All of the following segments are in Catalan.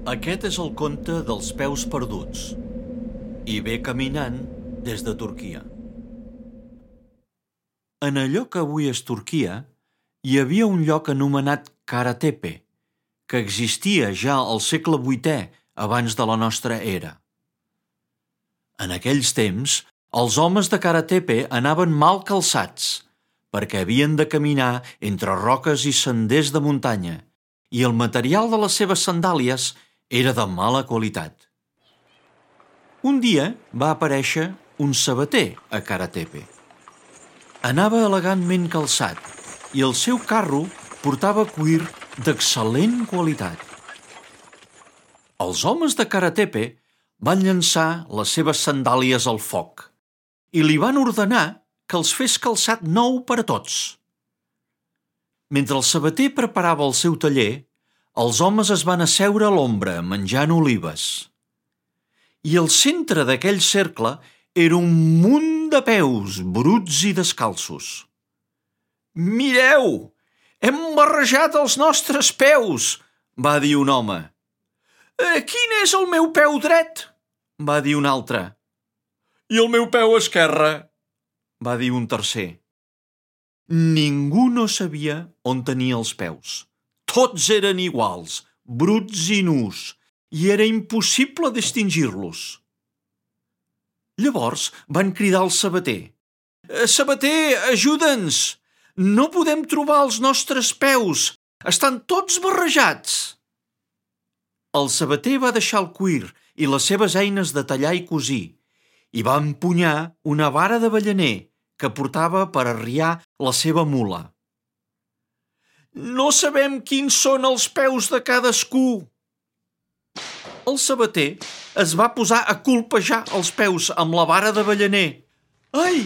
Aquest és el conte dels peus perduts i ve caminant des de Turquia. En allò que avui és Turquia, hi havia un lloc anomenat Karatepe, que existia ja al segle VIII abans de la nostra era. En aquells temps, els homes de Karatepe anaven mal calçats, perquè havien de caminar entre roques i senders de muntanya, i el material de les seves sandàlies era de mala qualitat. Un dia va aparèixer un sabater a Karatepe. Anava elegantment calçat i el seu carro portava cuir d'excel·lent qualitat. Els homes de Karatepe van llançar les seves sandàlies al foc i li van ordenar que els fes calçat nou per a tots. Mentre el sabater preparava el seu taller, els homes es van asseure a l'ombra menjant olives. I al centre d'aquell cercle era un munt de peus bruts i descalços. «Mireu! Hem barrejat els nostres peus!», va dir un home. «Quin és el meu peu dret?», va dir un altre. «I el meu peu esquerre?», va dir un tercer. Ningú no sabia on tenia els peus. Tots eren iguals, bruts i nus, i era impossible distingir-los. Llavors van cridar al sabater. «Sabater, ajuda'ns! No podem trobar els nostres peus! Estan tots barrejats!» El sabater va deixar el cuir i les seves eines de tallar i cosir i va empunyar una vara d'avellaner que portava per arriar la seva mula. «No sabem quins són els peus de cadascú!» El sabater es va posar a colpejar els peus amb la vara d'avellaner. «Ai!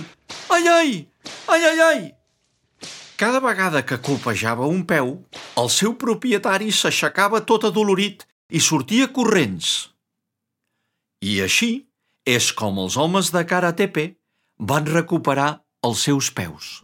Ai, ai! Ai, ai, ai!» Cada vegada que colpejava un peu, el seu propietari s'aixecava tot adolorit i sortia corrents. I així és com els homes de Karatepe van recuperar els seus peus.